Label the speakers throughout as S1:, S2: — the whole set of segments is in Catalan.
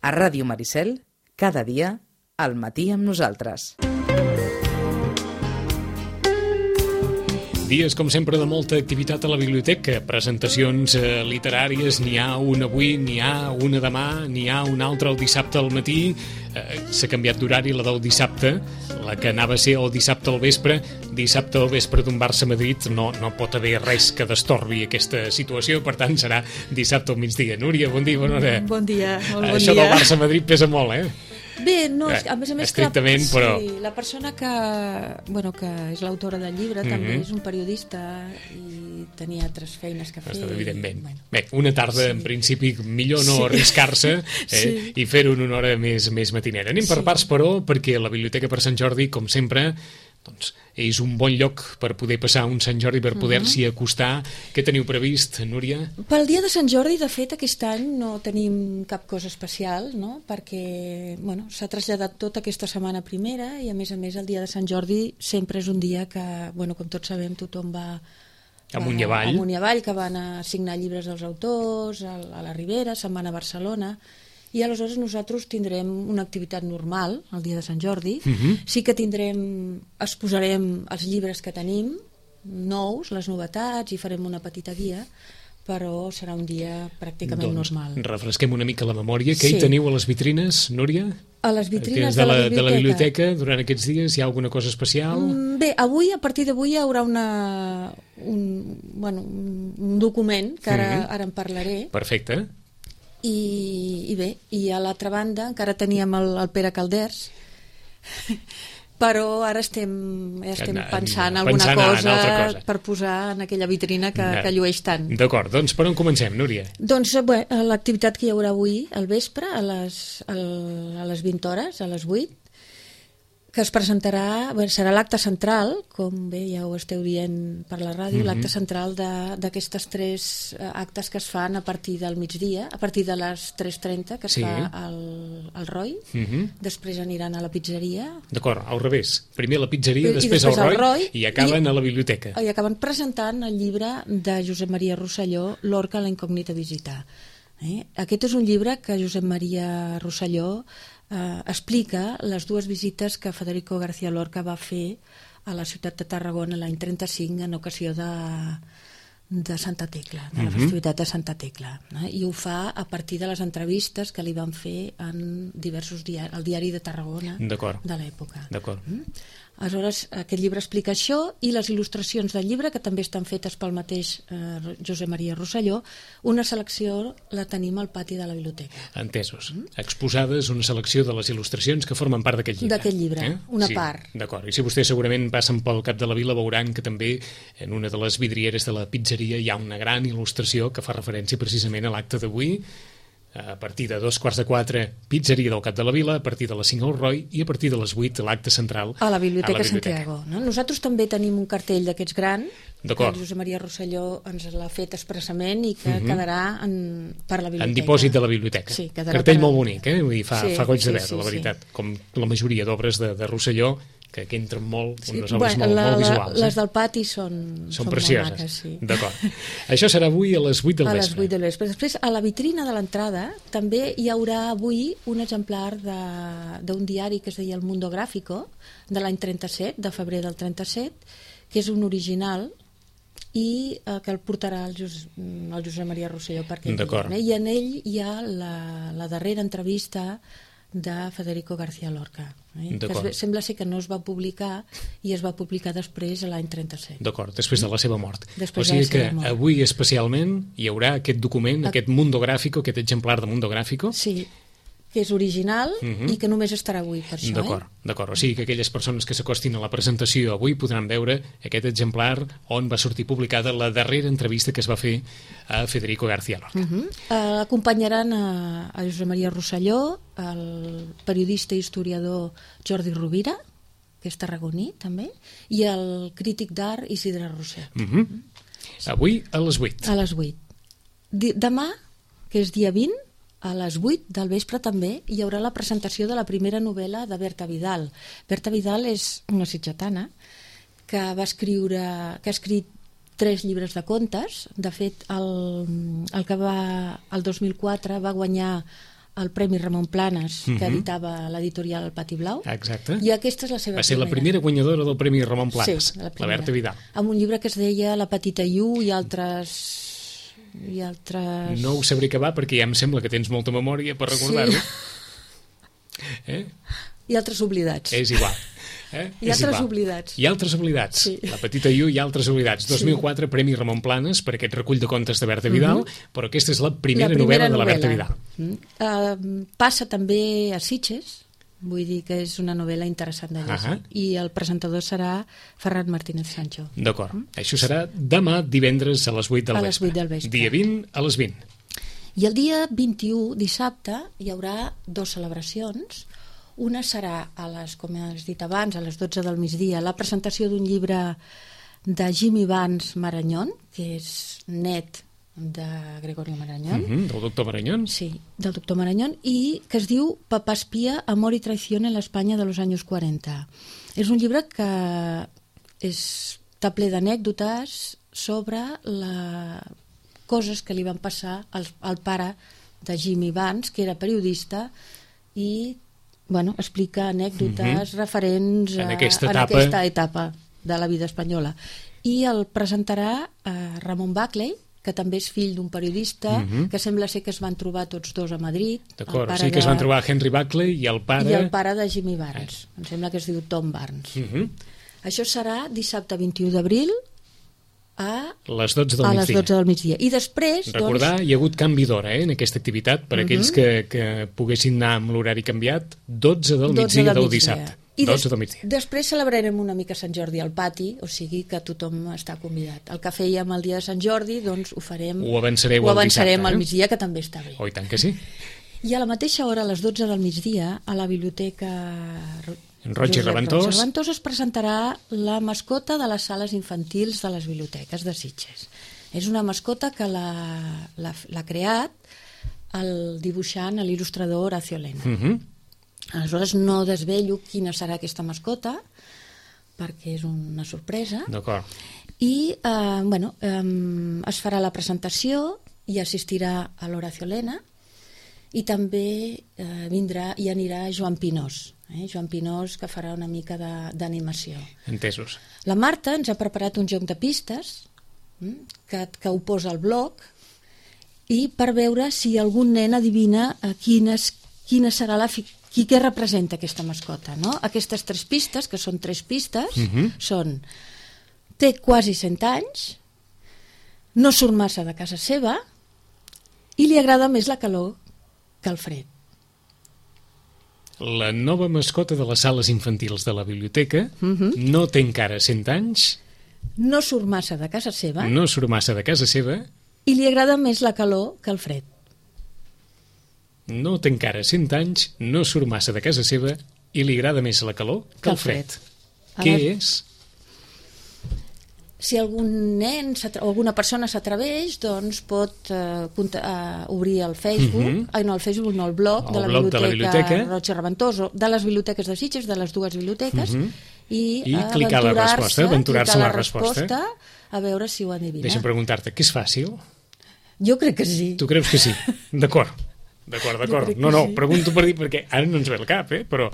S1: A Ràdio Maricel, cada dia, al matí amb nosaltres.
S2: Dies, com sempre, de molta activitat a la biblioteca. Presentacions literàries, n'hi ha una avui, n'hi ha una demà, n'hi ha una altra el dissabte al matí. S'ha canviat d'horari, la del dissabte, la que anava a ser el dissabte al vespre d'un Barça-Madrid. No pot haver res que destorbi aquesta situació, per tant serà dissabte al migdia. Núria, bon dia, bona hora.
S3: Bon dia, molt bon dia.
S2: Això del Barça-Madrid pesa molt,
S3: Bé, no, a més
S2: estrictament, però...
S3: Sí, la persona que és l'autora del llibre també és un periodista i tenia altres feines que fer.
S2: Evidentment. Bé, una tarda, en principi, millor no arriscar-se i fer-ho en una hora més matinera. Anem per parts, però, perquè la Biblioteca per Sant Jordi, com sempre, doncs és un bon lloc per poder passar un Sant Jordi, per poder-s'hi acostar. Què teniu previst, Núria?
S3: Pel dia de Sant Jordi, de fet, aquest any no tenim cap cosa especial, no? Perquè s'ha traslladat tot aquesta setmana primera i, a més, el dia de Sant Jordi sempre és un dia que, com tots sabem, tothom va
S2: amunt i avall,
S3: que van a signar llibres dels autors, a la Ribera, se'n van a Barcelona... I aleshores nosaltres tindrem una activitat normal el dia de Sant Jordi. Sí que exposarem els llibres que tenim, nous, les novetats, i farem una petita guia, però serà un dia pràcticament normal.
S2: Refresquem una mica la memòria. Què hi teniu a les vitrines, Núria?
S3: A les vitrines de la
S2: biblioteca durant aquests dies hi ha alguna cosa especial?
S3: Bé, a partir d'avui hi haurà un document que ara en parlaré.
S2: Perfecte.
S3: I bé, i a l'altra banda encara teníem el Pere Calders, però ara estem pensant alguna cosa per posar en aquella vitrina que llueix tant.
S2: D'acord, doncs per on comencem, Núria?
S3: Doncs l'activitat que hi haurà avui al vespre a les 20 hores, a les 8, que es presentarà, serà l'acte central, com bé ja ho esteu dient per la ràdio, l'acte central d'aquestes 3 actes que es fan a partir del migdia, a partir de les 3:30, que es fa al ROI, després aniran a la pizzeria.
S2: D'acord, al revés. Primer a la pizzeria, després al ROI i acaben a la biblioteca.
S3: I acaben presentant el llibre de Josep Maria Rosselló, Lorca, la incògnita visita. Aquest és un llibre que Josep Maria Rosselló explica les 2 visites que Federico García Lorca va fer a la ciutat de Tarragona l'any 35 en ocasió de Santa Tecla, de la festivitat de Santa Tecla. I ho fa a partir de les entrevistes que li van fer en diversos diaris, el diari de Tarragona de l'època. Aleshores, aquest llibre explica això i les il·lustracions del llibre, que també estan fetes pel mateix Josep Maria Rosselló. Una selecció la tenim al pati de la biblioteca.
S2: Entesos. Exposades una selecció de les il·lustracions que formen part d'aquest llibre.
S3: D'aquest llibre, una part.
S2: D'acord. I si vostès segurament passen pel cap de la vila, veuran que també en una de les vidrieres de la pizzeria hi ha una gran il·lustració que fa referència precisament a l'acte d'avui. A partir de 3:45, pizzeria del cap de la vila, a partir de les 5 al ROI i a partir de les 8 l'acte central
S3: a la Biblioteca Santiago. Nosaltres també tenim un cartell d'aquests gran que Josep Maria Rosselló ens l'ha fet expressament i que quedarà per la biblioteca.
S2: En dipòsit de la biblioteca.
S3: Sí,
S2: cartell molt bonic, Vull dir, fa goig de veure, la veritat. Com la majoria d'obres de Rosselló, que entren molt, unes obres molt visuals.
S3: Les del pati són
S2: precioses.
S3: Molt maques, sí.
S2: D'acord. Això serà avui a les 8 del vespre.
S3: A les 8 del vespre. Després, a la vitrina de l'entrada, també hi haurà avui un exemplar d'un diari que es deia El Mundo Gráfico, de l'any 37, de febrer del 37, que és un original i que el portarà el Josep Maria Rosselló per aquell dia. I en ell hi ha la darrera entrevista de Federico García Lorca, que sembla ser que no es va publicar i es va publicar després l'any 37.
S2: D'acord, després de la seva mort. O sigui que avui especialment hi haurà aquest document, aquest Mundo Gráfico, aquest exemplar de Mundo Gráfico.
S3: Sí, que és original i que només estarà avui per això.
S2: D'acord. O sigui que aquelles persones que s'acostin a la presentació avui podran veure aquest exemplar on va sortir publicada la darrera entrevista que es va fer a Federico García Lorca.
S3: Acompanyaran a Josep Maria Rosselló, el periodista i historiador Jordi Rovira, que és tarragoní també, i el crític d'art Isidre Roset.
S2: Avui a les 8.
S3: A les 8. Demà, que és dia 20, a les 8 del vespre també hi haurà la presentació de la primera novel·la de Berta Vidal. Berta Vidal és una sitgetana que ha escrit 3 llibres de contes. De fet, el 2004 va guanyar el Premi Ramon Planes, que editava l'editorial El Pati Blau.
S2: Exacte.
S3: I aquesta és la seva
S2: Va ser la primera guanyadora del Premi Ramon Planes,
S3: Sí,
S2: la Berta Vidal.
S3: Amb un llibre que es deia La petita Iu i altres...
S2: No ho sabré acabar perquè ja em sembla que tens molta memòria per recordar-ho.
S3: I altres oblidats.
S2: És igual.
S3: I altres oblidats.
S2: I altres oblidats.
S3: Sí.
S2: La petita Iu i altres oblidats. 2004, Premi Ramon Planes per aquest recull de contes de Berta Vidal, però aquesta és la primera novel·la de la Berta Vidal.
S3: Passa també a Sitges, vull dir que és una novel·la interessant de llegir. I el presentador serà Ferran Martínez Sancho.
S2: D'acord. Això serà demà divendres a les 8 del vespre.
S3: A les 8 del vespre.
S2: Dia 20 a les 20.
S3: I el dia 21, dissabte, hi haurà 2 celebracions. Una serà, com has dit abans, a les 12 del migdia, la presentació d'un llibre de Jimmy Vance Marañón, que és net de Gregorio Marañón.
S2: Del doctor Marañón.
S3: Sí, del doctor Marañón, i que es diu Papá espía, amor y traición en la España de los años 40. És un llibre que està ple d'anècdotes sobre coses que li van passar al pare de Jimmy Vance, que era periodista, i explica anècdotes referents
S2: en aquesta
S3: etapa de la vida espanyola. I el presentarà Ramon Buckley, que també és fill d'un periodista, que sembla ser que es van trobar tots dos a Madrid.
S2: D'acord, o sigui que es van trobar Henry Buckley i el pare...
S3: I el pare de Jimmy Barnes. Em sembla que es diu Tom Barnes. Això serà dissabte 21 d'abril a
S2: les 12 del
S3: a
S2: migdia.
S3: Les 12 del migdia. I després...
S2: Recordar, hi ha hagut canvi d'hora en aquesta activitat, per aquells que poguessin anar amb l'horari canviat, 12 del migdia del dissabte. 12 del migdia.
S3: Després celebrarem una mica Sant Jordi al pati, o sigui que tothom està convidat. El que fèiem el dia de Sant Jordi, doncs ho farem...
S2: Ho avançarem
S3: al migdia, que també està bé.
S2: Oh, i tant que sí.
S3: I a la mateixa hora, a les 12 del migdia, a la biblioteca...
S2: Roig i Reventós
S3: es presentarà la mascota de les sales infantils de les biblioteques de Sitges. És una mascota que l'ha creat el dibuixant, l'il·lustrador Horacio Lena. Aleshores no desvello quina serà aquesta mascota, perquè és una sorpresa.
S2: D'acord.
S3: I es farà la presentació i assistirà a l'Horacio Lena, i també vindrà i anirà Joan Pinós. Joan Pinós, que farà una mica d'animació.
S2: Entesos. La
S3: Marta ens ha preparat un joc de pistes que ho posa al blog, i per veure si algun nen adivina quina serà què representa aquesta mascota. Aquestes 3 pistes, que són 3 pistes, són: té quasi 100 anys, no surt massa de casa seva i li agrada més la calor que el fred.
S2: La nova mascota de les sales infantils de la biblioteca no té encara 100 anys,
S3: no surt massa de casa seva
S2: i
S3: li agrada més la calor que el fred.
S2: No té encara 100 anys, no surt massa de casa seva i li agrada més la calor que el fred. Què és?
S3: Si algun nen o alguna persona s'atreveix, doncs pot obrir el Facebook, el blog de la Biblioteca Roig i Reventós, de les biblioteques de Sitges, de les 2 biblioteques, i
S2: clicar aventurar-se la resposta,
S3: a veure si ho adivina.
S2: Deixa'm preguntar-te, que és fàcil?
S3: Jo crec que sí.
S2: Tu creus que sí? D'acord. No, pregunto per dir, perquè ara no ens ve al cap, però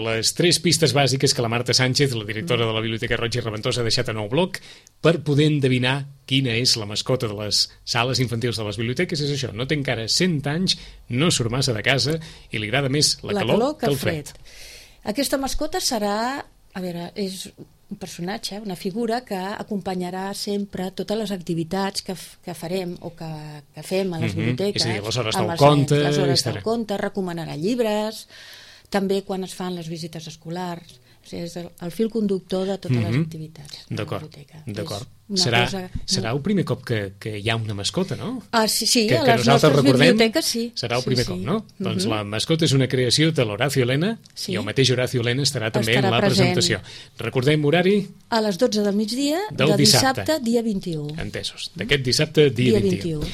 S2: les 3 pistes bàsiques que la Marta Sánchez, la directora de la Biblioteca Roig i Reventós, ha deixat en el blog per poder endevinar quina és la mascota de les sales infantils de les biblioteques és això: no té encara 100 anys, no surt massa de casa i li agrada més la calor que el fred.
S3: Aquesta mascota serà, és un personatge, una figura que acompanyarà sempre totes les activitats que farem o que fem a les biblioteques.
S2: És a dir, les hores del conte.
S3: Les hores del conte, recomanarà llibres, també quan es fan les visites escolars. O sigui, és el fil conductor de totes les activitats de la biblioteca.
S2: Serà el primer cop que hi ha una mascota, no?
S3: Sí, a les nostres biblioteques sí.
S2: Serà el primer cop, no? Doncs la mascota és una creació de l'Horacio Lena i el mateix Horacio Lena estarà també en la presentació. Recordem horari?
S3: A les 12 del migdia de dissabte, dia 21.
S2: Entesos. D'aquest dissabte, dia 21.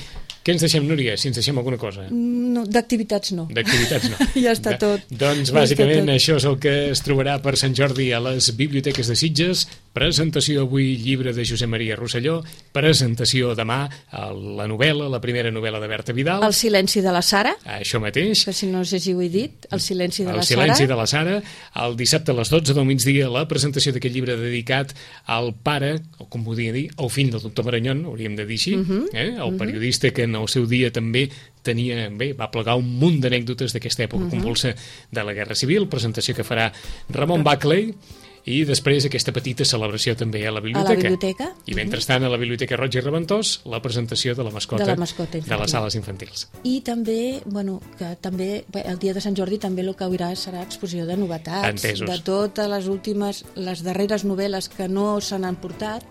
S2: Què ens deixem, Núria, si ens deixem alguna cosa?
S3: No, d'activitats no.
S2: D'activitats no.
S3: Ja està tot.
S2: Doncs bàsicament això és el que es trobarà per Sant Jordi a les biblioteques de Sitges. Presentació avui, llibre de Josep Maria Rosselló, presentació demà, la novel·la, la primera novel·la de Berta Vidal.
S3: El silenci de la Sara.
S2: Això mateix.
S3: Que si no sé si ho he dit, el silenci de la Sara.
S2: El silenci de la Sara. El dissabte a les 12 del migdia, la presentació d'aquest llibre dedicat al pare, o com podria dir, al fill del doctor Maranyon, hauríem de dir així, el periodista que en el seu dia també va plegar un munt d'anècdotes d'aquesta època convulsa de la Guerra Civil, presentació que farà Ramon Buckley, i després aquesta petita celebració també a la biblioteca. I mentrestant a la Biblioteca Roig i Reventós la presentació de la mascota de les sales infantils.
S3: I també, que també el dia de Sant Jordi també el que haurà serà exposició de novetats.
S2: Entesos.
S3: De totes les últimes, les darreres novel·les que no se n'han portat,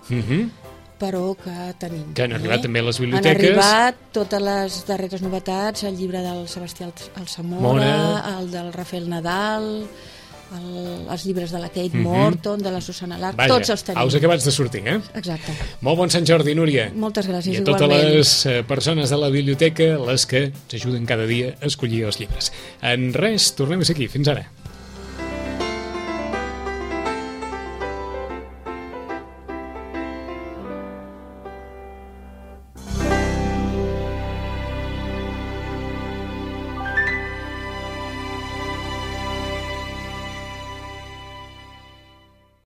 S3: però que tenim.
S2: Que han arribat també a les biblioteques.
S3: Han arribat totes les darreres novetats, el llibre del Sebastià Alsamora, el del Rafael Nadal, els llibres de la Kate Morton, de la Susana Lark, tots els tenim.
S2: Els acabats de sortir,
S3: Exacte.
S2: Molt bon Sant Jordi, Núria.
S3: Moltes gràcies,
S2: igualment. I a totes les persones de la biblioteca, les que ens ajuden cada dia a escollir els llibres. En res, tornem a ser aquí. Fins ara.